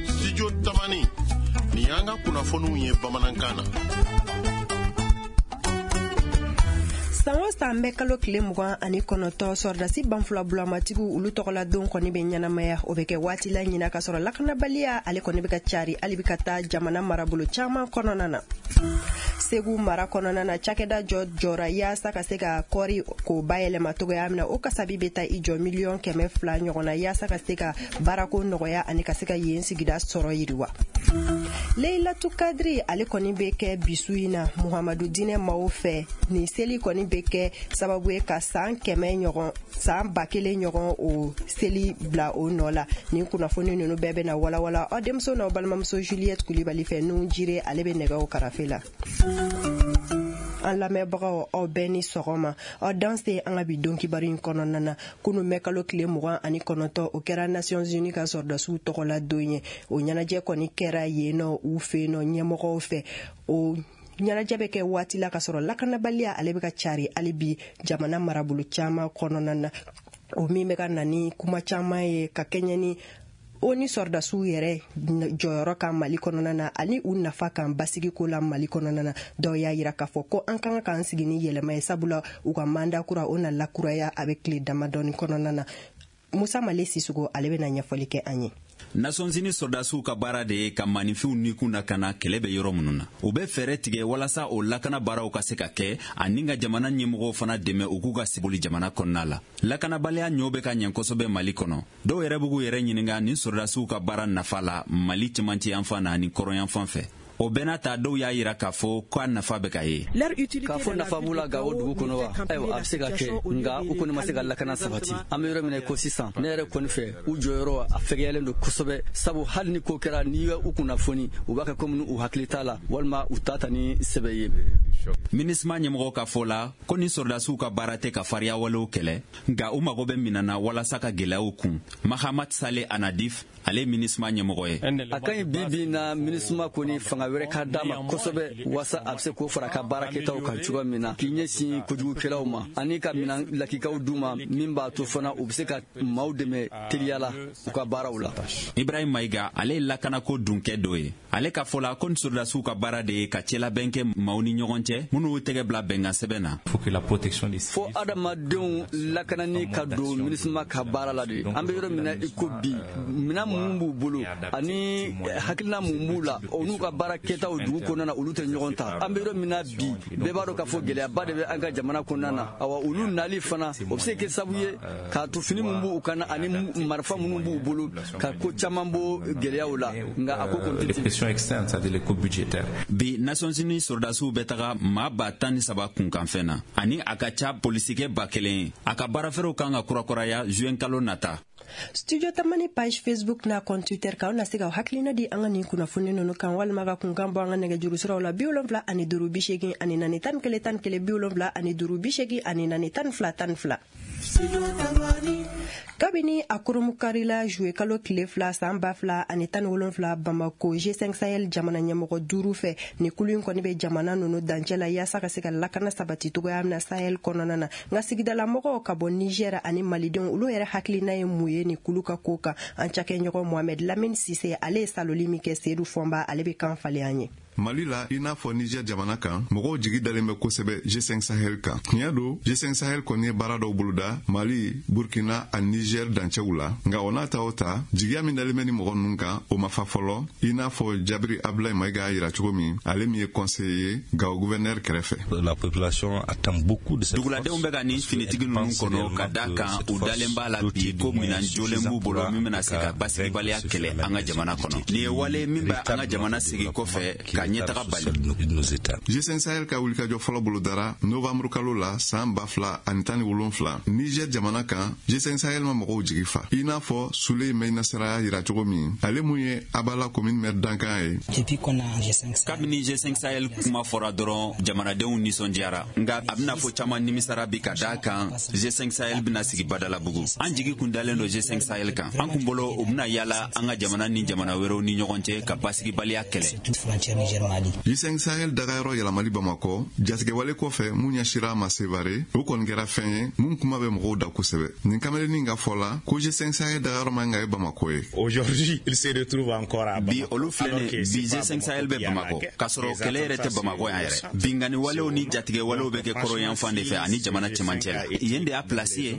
Studio Tamani, nin y'an ka kunnafoniw ye bamanankan na. San o san mɛ kalo tile 29, sɔrɔdasi banfula bulamatigiw olu tɔgɔla don kɔni bɛ ɲɛnamaya. O bɛ kɛ waati la ɲina ka sɔrɔ lakanabaliya ale kɔni bɛ ka cari hali bi ka taa jamana marabolo caman kɔnɔna na. Segu mara kɔnɔna na, cakɛda jɔ jɔra yaasa ka se ka kɔɔri k'o bayɛlɛma cogoya min na. O kasabi bɛ taa i jɔ 200 miliyɔn ɲɔgɔn na, yaasa ka se ka baarako nɔgɔya ani ka se ka yen sigida sɔrɔ yiriwa. Leilatu Kadiri ale kɔni bɛ kɛ bisu in na Muhamadu dinɛ maaw fɛ. Nin seli kɔni bɛ kɛ sababu ye ka san 100 ɲɔgɔn, san 1000 ɲɔgɔn, o seli bila o nɔ la. Nin kunnafoni ninnu bɛɛ bɛna walawala aw denmuso n'aw balimamuso Juliette Kulibali fɛ. Nun jire ale bɛ nɛgɛw karafe la. An lamɛnbagaw, aw bɛɛ ni sɔgɔma, aw danse an ka bi don kibaru in kɔnɔna na. Kunu mɛ kalo tile 29, o kɛra Nations Unies ka sɔrɔdasiw tɔgɔla don ye. O ɲɛnajɛ kɔni kɛra yen nɔ u fɛ yen nɔ ɲɛmɔgɔw fɛ. O ɲɛnajɛ bɛ kɛ waati la ka sɔrɔ lakanabaliya ale bɛ ka cari hali bi jamana marabolo caman kɔnɔna na, o min bɛ ka na ni kuma caman ye ka kɛɲɛ ni o ni sɔrɔdasiw yɛrɛ jɔyɔrɔ kan Mali kɔnɔna na ani u nafa kan basigiko la Mali kɔnɔna na. Dɔw y'a yira k'a fɔ ko an ka kan k'an sigi ni yɛlɛma ye, sabula u ka mandat kura o na lakuraya a bɛ tile damadɔni kɔnɔna na. Musa Male Sisogo ale bɛna ɲɛfɔli kɛ an ye. Nations Unies sɔrɔdasiw ka baara de ye ka maninfinw nikun na ka na kɛlɛ bɛ yɔrɔ minnu na. U bɛ fɛɛrɛ tigɛ walasa o lakana baaraw ka se ka kɛ ani ka jamana ɲɛmɔgɔw fana dɛmɛ u k'u ka seboli jamana kɔnɔna la. Lakanabaliya ɲɔ bɛ ka ɲɛ kosɛbɛ Mali kɔnɔ. Dɔw yɛrɛ b'u yɛrɛ ɲininka nin sɔrɔdasiw ka baara nafa la Mali cɛmancɛ yanfan na ani kɔrɔnyanfan fɛ. O bɛɛ n'a ta, dɔw y'a yira k'a fɔ k'a nafa bɛ ka ye. K'a fɔ nafa b'u la Gawo dugu kɔnɔ wa? Ayiwa, a bɛ se ka kɛ, nka u kɔni ma se ka lakana sabati. An bɛ yɔrɔ min na ko sisan, ne yɛrɛ kɔni fɛ, u jɔyɔrɔ a fɛgɛyalen don kosɛbɛ, sabu hali ni ko kɛra, n'i u kunnafoni, u b'a kɛ komi u hakili t'a la walima u t'a ta ni sɛbɛ ye. MINUSMA ɲɛmɔgɔ ka fɔ la ko ni sɔrɔdasiw ka baara tɛ ka fariya walew kɛlɛ, nka u mago bɛ minan na walasa ka gwɛlɛyaw kun. Mahamad Sale Anadif, ale ye MINUSMA ɲɛmɔgɔ ye. A ka ɲi bi bi na, MINUSMA kɔni fanga wɛrɛ ka d'a ma kosɛbɛ, waasa a bɛ se k'o fara ka baara kɛtaw kan cogoya min na, k'i ɲɛsin kojugukɛlaw ma ani ka minan lakikaw d'u ma min b'a to fana u bɛ se ka maaw dɛmɛ teliya la u ka baaraw la. Ibrahim Mayiga, ale ye lakanako dunkɛ dɔ ye. Ale ka fɔ la ko ni sɔrɔdasiw ka baara de ye ka cɛlabɛn kɛ maaw ni ɲɔgɔn cɛ minnu y'u tɛgɛ bila bɛnkan sɛbɛn na. Fo adamadenw lakanani ka don MINUSMA ka baara la de. An bɛ yɔrɔ min na i ko bi, minan minnu b'u bolo ani hakilina mun b'u la, o n'u ka baara kɛtaw dugu kɔnɔna na, olu tɛ ɲɔgɔn ta. An bɛ yɔrɔ min na bi, bɛɛ b'a dɔn k'a fɔ gɛlɛyaba de bɛ an ka jamana kɔnɔna na. Awa, olu nali fana, o bɛ se kɛ sababu ye k'a to fini min b'u kan na ani marifa minnu b'u bolo, ka ko caman bɔ gɛlɛyaw la, nka a ko kɔni tɛ. Bi, Nations Unies sɔrɔdasiw bɛ taga maa 13 000 kunkanfɛn na ani a ka ca polisikɛ 1000 ye. A ka baarafɛrɛw kan ka kurakuraya juin kalo nata. Studio Tamani page Facebook n'a compte Twitter kan, aw na se ka hakilina di an ka nin kunnafoni ninnu kan walima ka kunkan bɔ an ka nɛgɛjuru siraw la: 75 84 11 11, 75 84 12 12. Kabini a kurunbonkarila juillet kalo tile 2 san 2017 Bamako, G5 Sahel jamana ɲɛmɔgɔ duuru fɛ, ni kulu in kɔni bɛ jamana ninnu dancɛ la yaasa ka se ka lakana sabati cogoya min na Sahel kɔnɔna na. Nka sigidalamɔgɔw ka bɔ Niger ani Malidenw, olu yɛrɛ hakilina ye mun ye ni kulu ka ko kan? An cakɛɲɔgɔn Mohamed Lamine Sise, ale ye saloli min kɛ Seydou Fɔnba, ale bɛ kan falen an ye. Mali la, i n'a fɔ Niger jamana kan, mɔgɔw jigi dalen bɛ kosɛbɛ G5 Sahel kan. Tiɲɛ don, G5 Sahel kɔni ye baara dɔw boloda Mali, Burkina ani Niger dancɛw la, nka o n'a ta o ta, jigiya min dalen bɛ ni mɔgɔ ninnu kan, o ma fa fɔlɔ, i n'a fɔ Jabiri Abulayi Mayiga y'a yira cogo min, ale min ye conseiller ye Gawo gouverneur kɛrɛfɛ. La population attend beaucoup de cette Duguladenw bɛ ka nin finitigi ninnu kɔnɔ ka da kan u dalen b'a la bi ko minan jolen b'u bolo min bɛna se ka basigibaliya kɛlɛ an ka jamana kɔnɔ. Nin ye wale min bɛ an ka jamana sigi kɔfɛ ka ɲɛtaga bali. G5 Sahel ka wulikajɔ fɔlɔ bolodara novembre kalo la san 2017 Niger jamana kan. G5 Sahel ma mɔgɔw jigi fa, i n'a fɔ Suley Mainasara y'a yira cogo min, ale mun ye Abala commune maire dankan ye. Kabini G5 Sahel kuma fɔra dɔrɔn, jamanadenw nisɔndiyara, nka a bɛna fɔ caman nimisara bi ka daa kan G5 Sahel bɛna sigi Badalabugu. An jigi kun dalen don G5 Sahel kan. An kun bolo u bɛna yala an ka jamana ni jamana wɛrɛw ni ɲɔgɔn cɛ ka basigibaliya kɛlɛ. Mali. G5 Sahel dagayɔrɔ yɛlɛmali Bamakɔ, jatigɛwale kɔfɛ mun ɲɛsira a ma Sevare, o kɔni kɛra fɛn ye mun kuma bɛ mɔgɔw da kosɛbɛ. Nin kamalenin ka fɔ la ko G5 Sahel dagayɔrɔ man ka ye Bamakɔ ye. Aujourd'hui, il se retrouve encore à Bamako. Bi olu filɛ nin bi G5 Sahel bɛ Bamakɔ, k'a sɔrɔ kɛlɛ yɛrɛ tɛ Bamakɔ yan yɛrɛ. Binkanni walew ni jatigɛ walew bɛ kɛ kɔrɔ yan fan de fɛ ani jamana cɛmancɛ la. Yen de y'a place ye.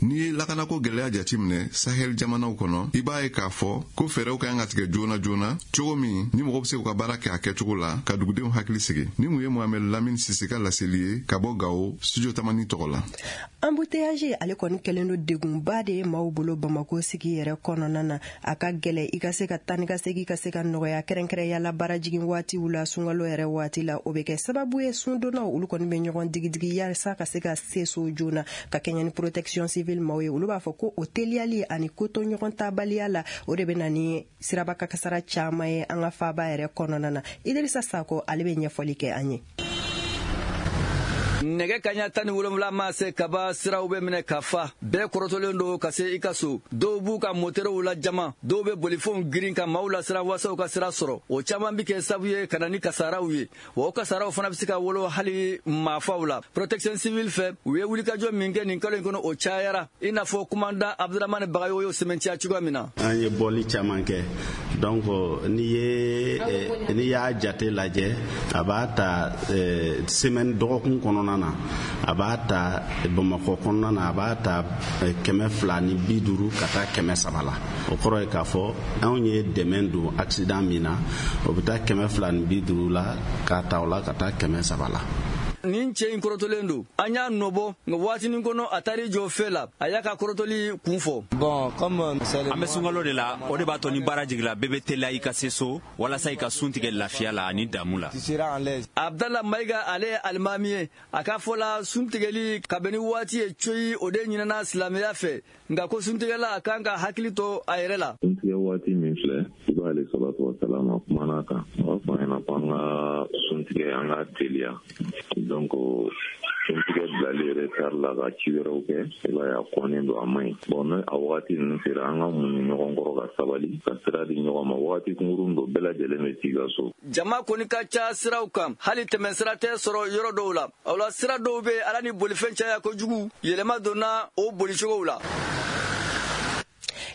N'i ye lakanako gɛlɛya jateminɛ Sahel jamanaw kɔnɔ, i b'a ye k'a fɔ ko fɛɛrɛw ka kan ka tigɛ joona joona, cogo min ni mɔgɔ bɛ se k'u ka baara kɛ a kɛcogo la ka dugudenw hakili sigi. Ni mun ye Mohamed Lamine Sise ka laseli ye ka bɔ Gawo, studio Tamani tɔgɔ la. Embouteillage ale kɔni kɛlen don degunba de ye maaw bolo Bamako sigi yɛrɛ kɔnɔna na. A ka gɛlɛ i ka se ka taa ni ka segin ka se ka nɔgɔya, kɛrɛnkɛrɛnya la baarajigin waatiw la, sunkalo yɛrɛ waati la. O bɛ kɛ sababu ye sundonnaw olu kɔni bɛ ɲɔgɔn digidigi yaasa ka se ka se so joona. Ka kɛɲɛ ni protection civile maaw ye, olu b'a fɔ ko o teliyali ani koto ɲɔgɔn tabaliya la, o de bɛ na ni siraba kasara caman ye an ka faaba yɛrɛ kɔnɔna na. Idirisa Sako ale bɛ ɲɛfɔli kɛ an ye. Nɛgɛ kaɲa 17 ma se kaba, siraw bɛ minɛ ka fa, bɛɛ kɔrɔtɔlen don ka se i ka so. Dɔw b'u ka moterew la jama, dɔw bɛ bolifɛnw girin ka maaw lasiran waasa u ka sira sɔrɔ. O caman bɛ kɛ sababu ye ka na ni kasaraw ye, wa o kasaraw fana bɛ se ka wolo hali maafaw la. Protection civile fɛ, u ye wulikajɔ min kɛ nin kalo in kɔnɔ, o cayara, i n'a fɔ commandant Abdramane Bagayogo y'o sɛmɛntiya cogoya min na. An ye bɔli caman kɛ, donc n'i y'a jate lajɛ, a b'a ta semaine dɔgɔkun kɔnɔna na, a b'a ta Bamakɔ kɔnɔna na, a b'a ta 250 ka taa 300 la. O kɔrɔ ye k'a fɔ anw ye dɛmɛ don accident min na, o bɛ taa 250 la k'a ta o la ka taa 300 la. Nin cɛ in kɔrɔtɔlen don, an y'a nɔbɔ, nka waatinin kɔnɔ a taar'i jɔ fɛ la, a y'a ka kɔrɔtɔli kun fɔ. An bɛ sunkalo de la, o de b'a to ni baara jigila, bɛɛ bɛ teliya i ka se so walasa i ka sun tigɛ lafiya la ani damu la. Abdala Mayiga ale ye alimami ye, a ka fɔ la sun tigɛli ka bɛn ni waati ye coyi, o de ɲinɛna silamɛya fɛ, nka ko suntigɛla a kan ka hakili to a yɛrɛ la. Suntigɛ waati min filɛ, i b'ale salatu wa salam a kumana kan, a b'a fɔ an ɲɛna ko an ka suntigɛ, an ka teliya. Donc suntigɛ bilali yɛrɛ tari la ka ci wɛrɛw kɛ, i b'a ye a kɔnnen don, a man ɲi. Bon, ni a wagati ninnu sera, an ka muɲu ɲɔgɔn kɔrɔ ka sabali ka sira di ɲɔgɔn ma. Wagati kunkurun don, bɛɛ lajɛlen bɛ t'i ka so. Jama kɔni ka ca siraw kan, hali tɛmɛsira tɛ sɔrɔ yɔrɔ dɔw la. O la sira dɔw bɛ ala ni bolifɛn caya kojugu, yɛlɛma donna o bolicogow la.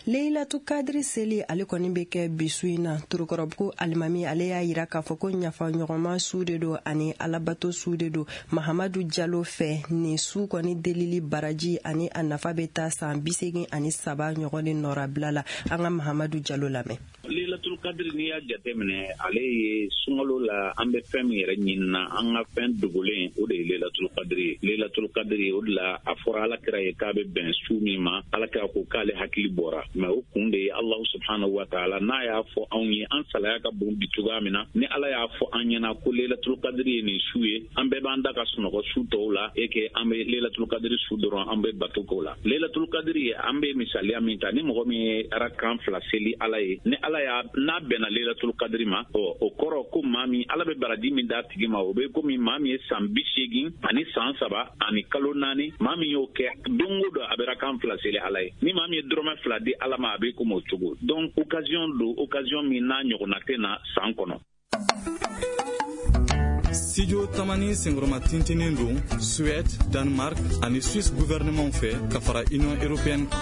Leilatu Kadiri seli ale kɔni bɛ kɛ bi su in na. Torokɔrɔbugu alimami ale y'a yira k'a fɔ ko ɲafa ɲɔgɔnma su de don ani alabato su de don. Mahamadu Jalo fɛ, nin su kɔni delili baraji ani a nafa bɛ taa san 83 ɲɔgɔn de nɔrabila la. An ka Mahamadu Jalo lamɛn. Leilatul Kadiri, n'i y'a jateminɛ, ale ye sunkalo la an bɛ fɛn min yɛrɛ ɲinina, an ka fɛn dogolen, o de ye Leilatul Kadiri ye. Leilatul Kadiri, o de la a fɔra Ala kira ye k'a bɛ bɛn su min ma, Ala kira ko k'ale hakili bɔra. Mais o kun de ye Allahu subhanahu wa ta'ala n'a y'a fɔ anw ye, an salaya ka bon bi cogoya min na, ni Ala y'a fɔ an ɲɛna ko Leilatul Kadiri ye nin su ye, an bɛɛ b'an da ka sunɔgɔ su tɔw la, et que an bɛ Leilatul Kadiri su dɔrɔn an bɛ bato k'o la. Leilatul Kadiri ye, an bɛ misaliya min ta, ni mɔgɔ min ye rakan 2 seli Ala ye, ni Ala y'a n'a bɛnna Leilatul Kadiri ma, o kɔrɔ ko maa min Ala bɛ baraji min d'a tigi ma, o bɛ komi maa min ye san 83 ani san 3 ani kalo 4, maa min y'o kɛ don o don a bɛ rakan 2 seli Ala ye. Ni maa min ye dɔrɔmɛ 2 di Ala ma, a bɛ komi o cogo. Donc occasion don, occasion min n'a ɲɔgɔnna tɛ na san kɔnɔ. Studio Tamani senkɔrɔma tintinin don Suède, Danemark ani Suisse gouvernement fɛ ka fara Union européenne kan.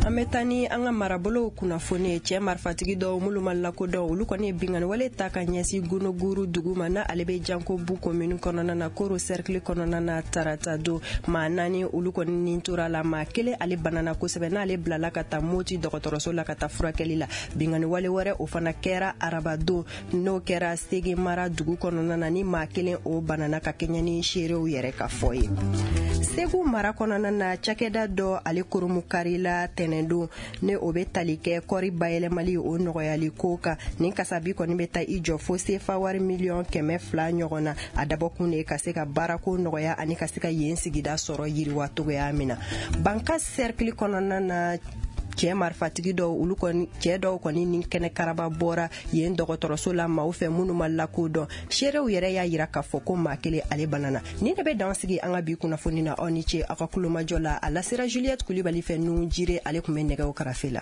An bɛ taa ni an ka marabolow kunnafoni ye. Cɛ marifatigi dɔw minnu ma lakodɔn, olu kɔni ye binkanni wale ta ka ɲɛsin Gonoguru dugu ma, n'a ale bɛ Jankobu commune kɔnɔna na, Koro cercle kɔnɔna na, tarata don. Maa 4 olu kɔni nin tora la, maa 1 ale banana kosɛbɛ, n'ale bilala ka taa Moti dɔgɔtɔrɔso la ka taa furakɛli la. Binkanni wale wɛrɛ o fana kɛra araba don, n'o kɛra Sege mara dugu kɔnɔna na, ni maa 1 o banana ka kɛɲɛ ni seerew yɛrɛ ka fɔ ye. Segu mara kɔnɔna na, cakɛda dɔ ale koromukari la tɛnɛn don, ne o bɛ tali kɛ kɔri bayɛlɛmali o nɔgɔyali ko kan. Nin kasabi kɔni bɛ taa i jɔ fo sefa wari 200 miliyɔn ɲɔgɔn na. A dabɔkun de ye ka se ka baarako nɔgɔya ani ka se ka yen sigida sɔrɔ yiriwa cogoya min na. Banka cercle kɔnɔna na, cɛ marifatigi dɔw olu kɔni cɛ dɔw kɔni ni kɛnɛ karaba bɔra yen dɔgɔtɔrɔso la maaw fɛ minnu ma lakodɔn. Seerew yɛrɛ y'a yira k'a fɔ ko maa 1 ale banana. Nin de bɛ dan sigi an ka bi kunnafoni na. Aw ni ce aw ka kulomajɔ la. A lasera Juliette Kulibali fɛ, Nuhu Jire ale tun bɛ nɛgɛw karafe la.